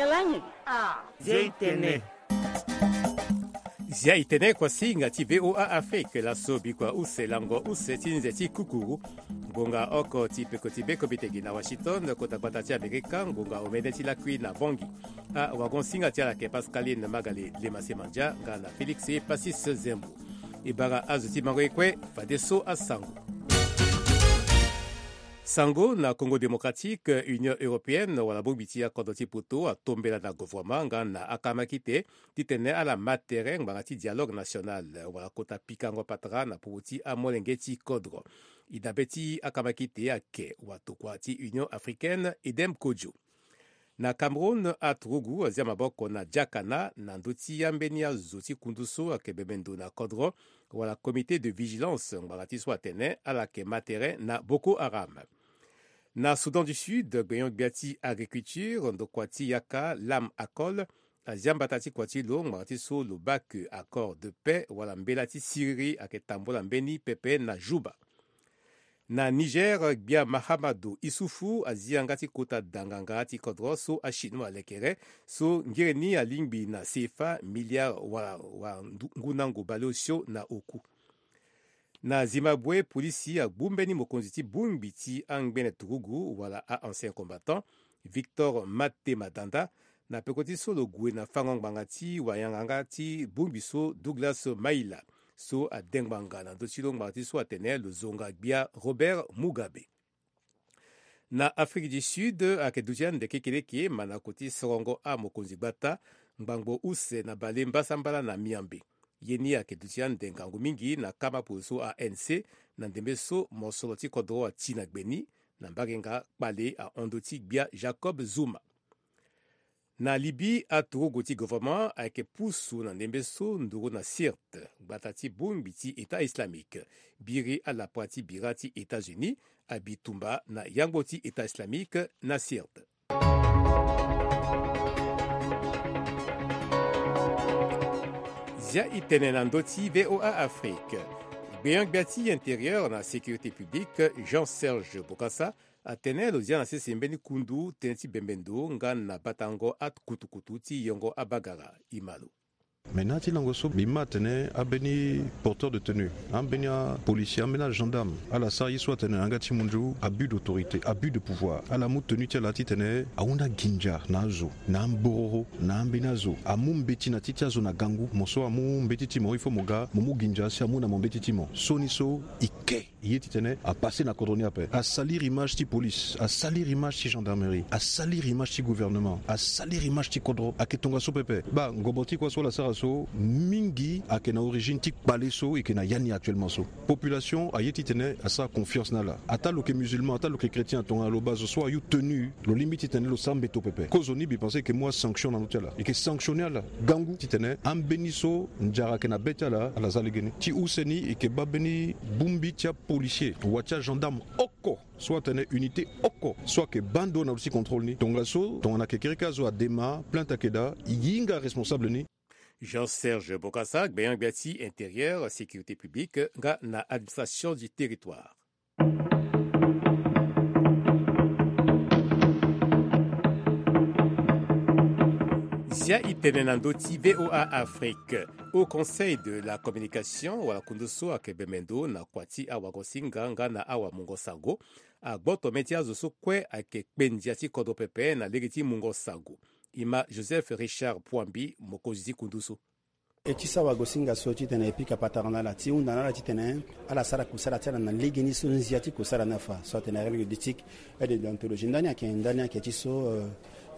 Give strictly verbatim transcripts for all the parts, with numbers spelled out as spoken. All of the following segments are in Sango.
Zia itene. Zia itene kuasinga ti VOA Afrique laso bikua use lango use ti nze ti kukuru. Ngonga oko ti peko ti be komitegi na Washington, kota gbata ti Amerika, ngonga omene ti lakui na Bangui. Awagonsinga ti ala ke Pascaline Magalé Lemasemandia nga na Félix Pacis Zembo. E bara azo ti mango e kue, fadeso asango. Sango na Congo Démocratique, Union Européenne wala bongbi ti akodro ti poto atombela na gouvernement nga na akamakite titene ala ma tere ngbanga ti dialogue national wala kota pikango patara na popo ti amolenge ti kodro. E dabe ti akamakite ake watokua ti Union Africaine Edem Kojo. Na Cameroun, aturugu azia maboko na diakana na ndö ti ambeni azo ti kundu so ayeke bembe ndo na kodro wala comité de vigilance ngbanga ti so atene ala yeke ma tere na Boko Haram. Na Soudan du Sud, gbenyo-gbia ti agriculture ndokua ti yaka Lam Akol azia mbata ti kua ti lo ngbanga ti so lo baa ke accord de paix wala mbela ti siriri ayeke tambola mbeni pepe na Juba. Na Niger, gbia Mahamadou Issoufou azi yanga ti kota danganga ti kodro so achinois alekere, so ngere ni alingbi na C F A milliard wala, wala ndu-, ngundango baleosio na oku. Na Zimbabwe, polisi agbu mbeni mokonzi ti bongbi ti angbene turugu wala a-ancien combattant, Victor Mate Madanda, na peko ti so lo gue na fango ngbanga ti wayanga nga ti bongbi so Douglas Maila, so ade ngbanga na ndö ti lo ngbanga ti so atene lo zonga gbia Robert Mugabe. Na Afrique du Sud, ayeke duti ande kekereke manako ti sorongo amokonzi gbata ngbangbo use na bale mbasambala na miambe. Ye ni ayeke duti ande ngangu mingi na kamapo so A N C, na ndembe so mosoro ti kodro ati na gbe ni, na mbarenga kpale ahon ndö ti gbia Jacob Zuma. Na Libye, aturugu ti gouvernement ayeke pusu na ndembe so nduru na Sirte, gbata ti bongbi ti État islamique. Biri alapua ti bira ti États-Unis abi tumba na yangbo ti État islamique na Sirte. Zia itene na ndö ti VOA Afrique. Gbenyo-gbia ti intérieur na sécurité publique, Jean Serge Bokassa, atene lo zia na sese mbeni kundu tënë ti bembe ndo nga na batango akutukutu ti yongo abagara. E ma lo. Mais na ya ti lango so mbi ma atene ambeni porteur de tenue, ambeni apolisi, ambeni agendarme, ala sara ye so atene na yanga ti mundu abus d'autorité, abus de pouvoir. Ala mu tenue ti ala titene ahunda ginza na azo, na ambororo, na ambeni azo. Amu mbeti na ti ti azo na gangu. Mo so amu mbeti ti mo, il faut mo ga mo mu ginza si amu na mo mbeti ti mo. So ni so e ke ye titene apasse na kodro ni ape. Asalir image ti police, asalir image ti gendarmerie, asalir image ti gouvernement, asalir image ti kodro. Ayeke tongaso pepe. Baa, ngobo ti kua so ala sara so, mingi ayeke na origine ti kpale so e yeke na ya ni actuellement so. Population aye titene asara confiance na ala. Ata lo yeke musulman, ata lo yeke chrétien, tongana lo baa zo so ayu tenue, lo lingbi titene lo sara mbeto pepe. Kozo ni mbi pense e yeke mu asanction na ndö ti ala. E yeke sanctionner ala gangu titene ambeni so nzara ayeke na be ti ala, ala za legeni. Ti use ni e yeke baa mbeni bongbi ti apolisier wa ti agendarme oko so atene unité oko so ayeke baa ndo na ndö ti contrôle ni. Tongaso, tongana kekereke azo adema plainte ayeke daa, e hinga responsable ni. Jean Serge Bokassa, gbenyo-gbia ti intérieur, sécurité publique nga na administration du territoire. Zia itene na ndö ti VOA Afrique. Au Conseil de la communication wala kundu so ayeke bembe ndo na kua ti awagosinga nga na awamungo sango, agboto mê ti azo so kue ayeke kpe ndia ti kodro pepe na lege ti mungo sango. E ma Joseph Richard Pouambi, mokonzi ti kundu so. E ti sara wagosinga so titene e pika patara na ala ti hunda na ala titene ala sara kusala ti ala na legeni so nzia ti kusala ni afa. So atene règle d'éthique et de déontologie. Ndani ayeke, ndani ayeke ti so, euh,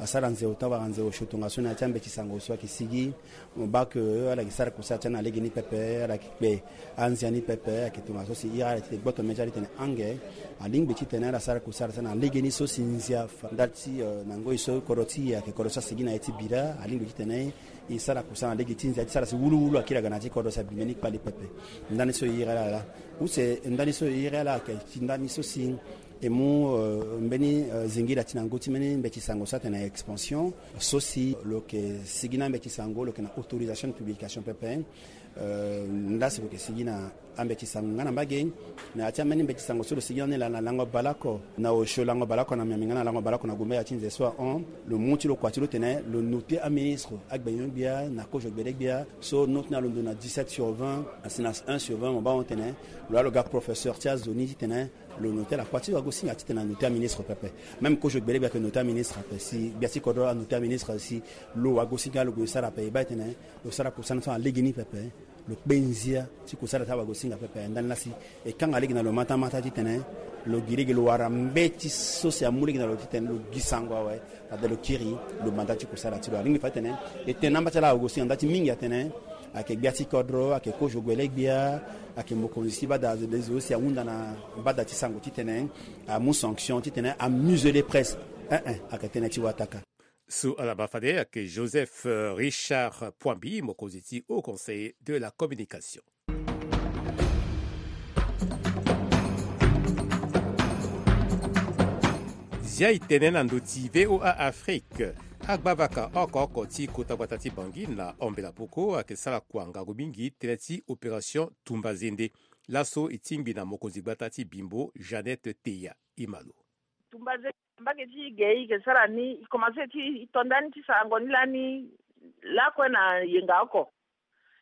asara nze ota wala nze osio tongaso na ya ti ambeti sango so ayeke sigi. Mo baa ke ala yeke sara kusala ti ala na legeni pepe, ala yeke kpe anzia ni pepe. Ayeke tongaso si iri ala ti gboto mê ti ala titene ange alingbi titene ala sara kusala ti ala na legeni so si nzia afa. Ndali ti, euh, na ngoi so kodro ti e ayeke kodro so asigi na ye ti bira, alingbi titene e sara kusala na lege ti nzia ti sara si wuluwulu akiri aga na ya ti kodro si abimbe ni kpale pepe. Ndani so e iri ala laa. Use ndani so e iri ala ayeke ti ndani so si E mu mbeni zingira ti na ngu ti mbeni mbeti sango so atene expansion so si lo yeke sigi na mbeti sango lo yeke na autorisation de publication pepe. Nda si lo yeke sigi na ambeti sango nga na mbage. Na ya ti ambeni mbeti sango so lo sigi na ni laa na lango baleoko na osio lango baleoko na miami nga na lango baleoko na gumba ya ti nze so ahon lo mu ti lo kua ti lo tene lo note aministre agbenyo gbia na kozo gbele gbia so note na lo ndo na dix-sept sur vingt asi na un sur vingt mo baa hon tene lo ya lo ga professeur ti azo ni titene lo note ala kua ti lo agosinga titene anote aministre pepe. Même kozo gbele gbia yeke note aministre ape si gbia ti kodro anote aministre si lo agosinga lo gue sara ape e baa e tene lo sara kusana so na legeni pepe. Lo kpe nzia ti kusala ti awagosinga pepe ndani lasi e kanga lege na lo matamata titene lo gi lege lo wara mbeti so si amu lege na lo titene lo gi sango awe. Fade lo kiri lo manda ti kusala ti lo alingbi fa titene e tene na mba ti ala awagosinga nda ti mingi atene ayeke gbia ti kodro ayeke kozo gbele gbia ayeke mokonzi ti bada azo le zo si ahunda na bada ti sango titene amu sanction titene amusele presse. Ee ayeke tënë ti wataka. So ala ma fade ayeke Joseph Richard Poimbi mokonzi ti Haut Conseil de la Communication. Zia e tene na ndö ti VOA Afrique. Agbavaka oko oko ti kota gbata ti Bangui na Ambela Poko ayeke sara kua ngangu mingi tënë ti opération Tumba Zende. Laso e tingbi na mokonzi gbata ti Bimbo Jeannette Teya. E ma lo. Tumba Zende mbage ti ge e yeke sara ni e komanse ti e to ndani ti sarango ni lani lakue na yenga oko.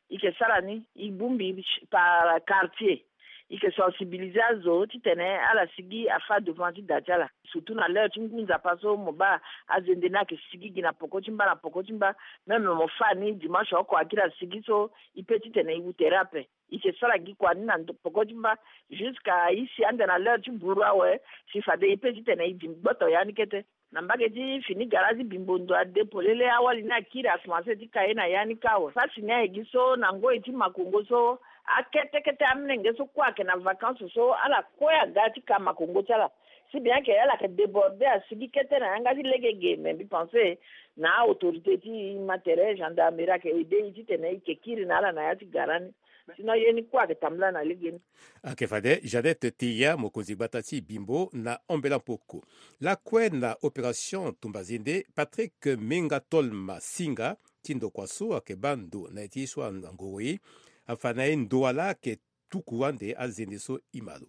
E yeke sara ni e bongbi par quartier. E yeke sensibiliser azo titene ala sigi afa devant ti da ti ala surtout na l'heure ti ngu nzapa so mo baa azende ni ayeke sigi gi na poko ti mba na poko ti mba. Même mo fa ni dimanche oko akiri asigi so e pe titene e wu tere ape. E yeke sara gi kua ni na poko ti mba jusqu'à e si ande na l'heure ti buru awe si fade e pe titene e di gboto ya ni kete. Na mbage ti fini gara ti Bimbo ndo ade polele awali ni akiri akomanse ti ka ye na ya ni kâ awe. Pasi ni ayeke gi so na ngoi ti makongo so akete kete amolenge so kue ayeke na vacances so ala kue aga ti ka makongo ti ala. Si bien que ala yeke déborder asigi kete na yanga ti lege ge mais mbi pense na autorité ti ma tere gendarmerie ayeke aide e titene e yeke kiri na ala na ya ti gara ni. Sinon ye ni kue ayeke tambula na lege ni. Ayeke fade Jeannette Teya mokonzi gbata ti Bimbo na Ambela Poko. Lakue na opération Tumba Zende Patrick Menga Tolma Singa ti ndokua so ayeke baa ndo na ye ti ye so angoro ye afa na ye ndo wala ayeke tuku ande azende so e ma lo.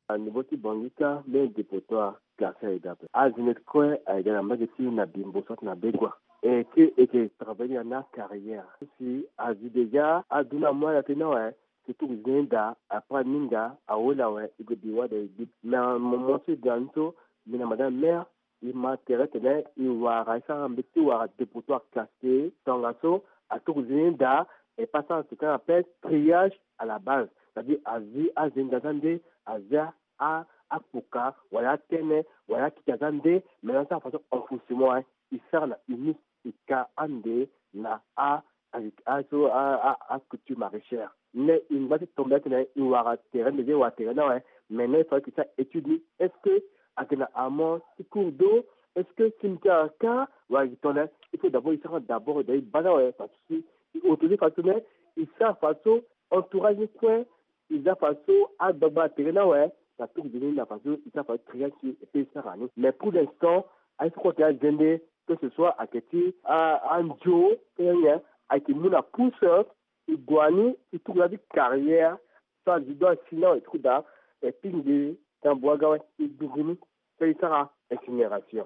Na niveau ti Bangui kâ mbeni dépotoir classé ayeke daa ape. Azende kue ayeke daa na mbage ti na Bimbo soit na Begua. E ke e ke travailler na carrière si azi déjà adu na moi na tënë ni awe. Si tuku zende ni daa après aninga awe la awe e gue bi wade e gbi. Mais na moment so e daa ni so mbi na madame maire e ma tere tene e wara e sara mbeti ti wara dépotoir classé tongaso. Atuku zende ni daa e pasa ce qu'on appelle triage à la base. C'est-à-dire azi azende aza nde azi akpoka wala atene wala akita aza nde. Maintenant sara façon enfoncement e sara na unit e ka ande na a aso a culture maraîchère. Mais e ngba ti tombe atene e wara tere nde ti e wara tere ni awe. Maintenant il fallait que e sara étude ni est-ce que ayeke na amont ti cours d'eau? Est-ce que cimetière ayeke ka wala ayeke tongana? Il faut d'abord e sara d'abord e daa e baa ni awe parce que e autoriser façon tene e sara façon entourage ni kue. E za façon agbagba na tere ni awe na tuku zende ni na façon e sara façon triage ti e pe e sara ni. Mais pour l'instant aye so kue ayeke azende que ce soit ayeke ti andio kenge nyen ayeke mu na pousse. E gue ni e tuku na ya ti carrière so azi do asi ni awe e tuku daa e pingbi ti ambu aga awe e dungu ni so e sara incinération.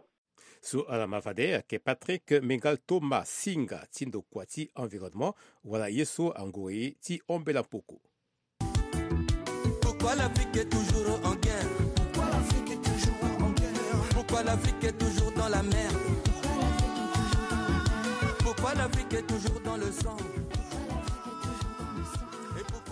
So ala ma fade ayeke Patrick Menga Tolma Singa ti ndokua ti environnement wala ye so angoro ye ti Ambela Poko. Pourquoi l'Afrique est toujours en guerre? Pourquoi l'Afrique est toujours en guerre? Pourquoi l'Afrique est toujours dans la merde? Pourquoi l'Afrique est toujours dans le sang?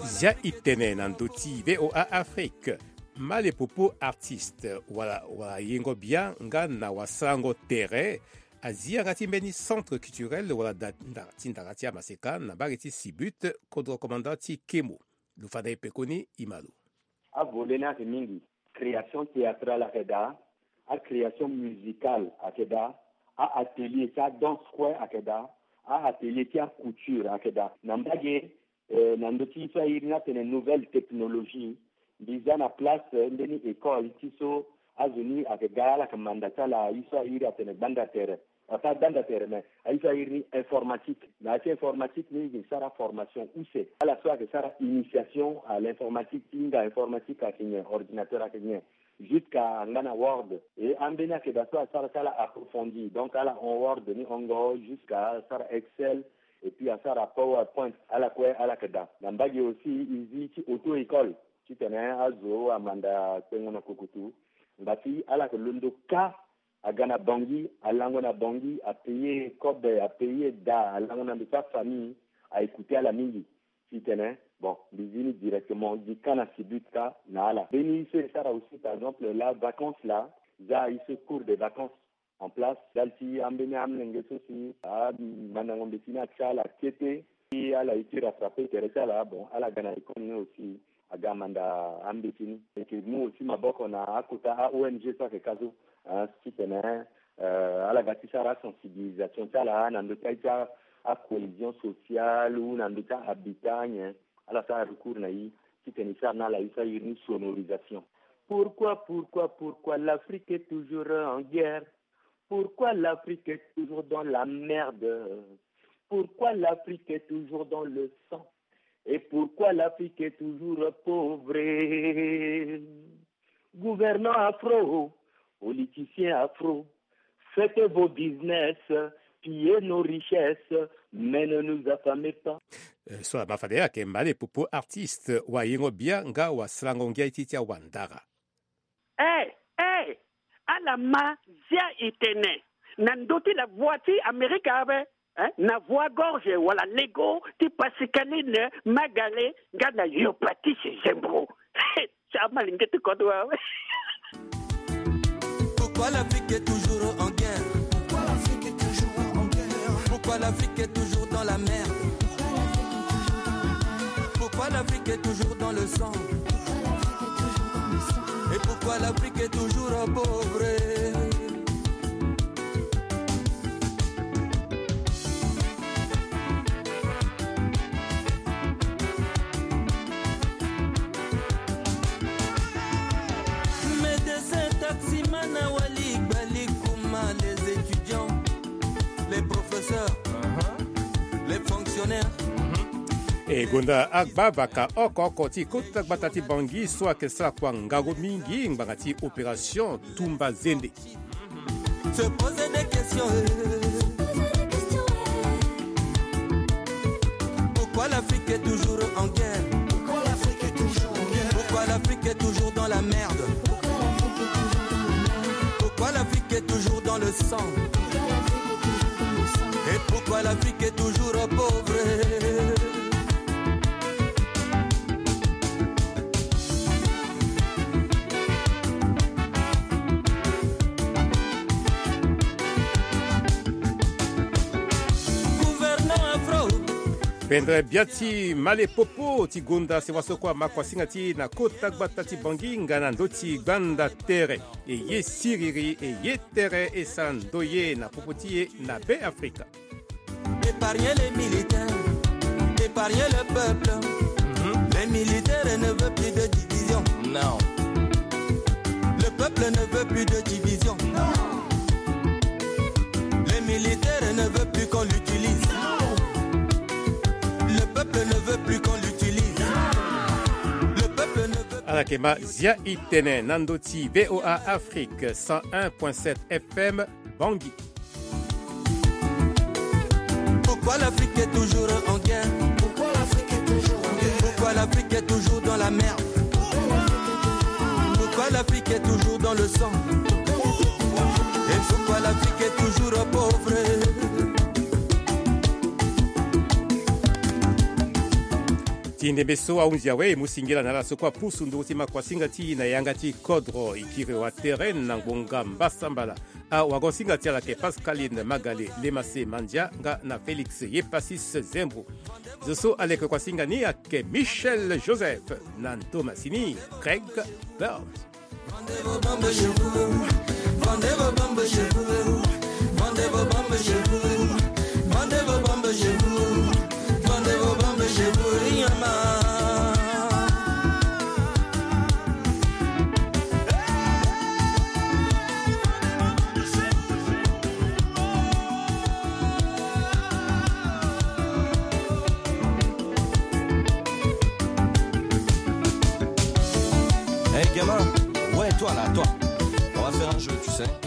Zia e tene na ndö ti VOA Afrique. Malepopo artiste wala wala yengo bia nga na wasarango tere azi yanga ti mbeni centre culturel wala da nda ti ndara ti amaseka na mbage ti Sibut, kodro commandant ti Kemo. Lo fada e pekoni e ma lo. Avole ni ayeke mingi. Création théâtrale ayeke daa. Acréation musicale ayeke daa. A-atelier ti adanse kue ayeke daa. A-atelier ti acouture ayeke daa na mbage. Eh, na ndö ti so airi ni atene nouvelle technologie, mbi za na place, eh, mbeni école ti so Azo ni ayeke ga ala yeke manda ti ala aye so a iri atene gbanda tere. Afa gbanda tere me aye so a iri ni informatique. Na ya ti informatique ni e yeke sara formation use. Ala so ayeke sara initiation à l'informatique ti hinga informatique ayeke nyen, ordinateur ayeke nyen, jusqu'à angba na Word. E ambeni ayeke daa so asara ti ala approfondi. Donc ala hon Word ni hongo jusqu'à asara Excel et puis asara PowerPoint. Ala kue ala yeke daa. Na mbage aussi e zi ti auto-école titene azo amanda kpengo na kokotu. Ngba ti ala yeke londo kâ aga na Bangui, alango na Bangui, apayer kobe, apayer daa, alango na ndo ti afamille, a écouter ala mingi. Titene bon, mbi zi ni directement, mbi zi kâ na Sibut kâ na ala. Mbeni ye so e sara aussi, par exemple, la vacance la, za ye so cours de vacances en place, ndali ti ambeni amolenge so si amandango mbeti ni atia ala kete, si ala ye ti rattraper tere ti ala, bon, ala ga na école ni aussi aga amanda ambeti ni. E yeke mu aussi maboko na akota a-O N G so ayeke ka so, ah, titene, euh, ala ga ti sara asensibilisation ti ala na ndö ti aye ti a, acohésion sociale ou na ndö ti a-habitat nyen. Ala sara recours na e titene e sara na ala ye so a iri ni sonorisation. Pourquoi, pourquoi, pourquoi l'Afrique est toujours en guerre? Pourquoi l'Afrique est toujours dans la merde? Pourquoi l'Afrique est toujours dans le sang? Et pourquoi l'Afrique est toujours pauvre? Gouvernants afro, politiciens afro, faites vos business, pillez nos richesses, mais ne nous affamez pas. Eh, so ama fade ayeke Male Popo, artiste, wayengo bia nga wasalango ngia ti ti awandara. Eh, eh, ala ma zia e tene na ndö ti la voix ti Amerika awe, eh, na voix gorge wala lego ti Pascaline Magale nga na Yopatise Zembro. Ti amalenge ti kodro awe. Pourquoi l'Afrique est toujours en guerre? Pourquoi l'Afrique est toujours en guerre? Pourquoi l'Afrique est toujours dans la merde? Pourquoi l'Afrique est toujours dans le sang? Et pourquoi l'Afrique est toujours pauvre? Médecin, taximan, awali, gbali, kuma, les étudiants, les professeurs, les fonctionnaires. E gonda agba vaka oko oko ti kota gbata ti Bangui so ayeke sara kua ngangu mingi ngbanga ti opération Tumba Zende. Se poser des questions, eh. Pourquoi l'Afrique est toujours en guerre? Pourquoi l'Afrique est toujours en guerre? Pourquoi l'Afrique est toujours dans la merde? Pourquoi l'Afrique est toujours dans la merde? Pourquoi l'Afrique est toujours dans le sang? Pourquoi l'Afrique est toujours dans le sang? Et pourquoi l'Afrique est toujours pauvre? Pendere bia ti Male Popo ti gonda sewa so kue ama kuasinga ti e na kota gbata ti Bangui nga na ndö ti gbanda tere. E ye siriri, e ye tere, e sara ndoye na popo ti e na Be Afrika. Épargnez les militaires, épargnez le peuple. Mhm. Les militaires ne veulent plus de division. Non. Le peuple ne veut plus de division. Non. Les militaires ne veulent plus qu'on l'utilise. Non. Le peuple ne veut plus qu'on l'utilise. Le peuple ne veut plus. Ala yeke ma zia e tene na ndö ti V O A Afrique cent un point sept F M Bangui. Pourquoi l'Afrique est toujours en guerre? Pourquoi l'Afrique est toujours en guerre? Pourquoi l'Afrique est toujours dans la merde? Pourquoi l'Afrique est toujours dans le sang? Et pourquoi l'Afrique est toujours pauvre? Ti ndembe so ahunzi awe, e mu singila na ala so kue apusu nduru ti makuasinga ti e na yanga ti kodro. E kiri wa tere na ngbonga mbasambala. Awagosinga ti ala ayeke Pascaline Magale, Lemase Mandia nga na Félix Yepasis Zembro. Zo so aleke kuasinga ni ayeke Michel Joseph na ndo masini Craig Bird. Vendez vos bombes chez vous, vendez vos bombes chez vous, vendez vos bombes chez vous, vendez vos bombes chez vous, vendez vos bombes chez vous, Yama. Ouais, toi là, toi. On va faire un jeu, tu sais.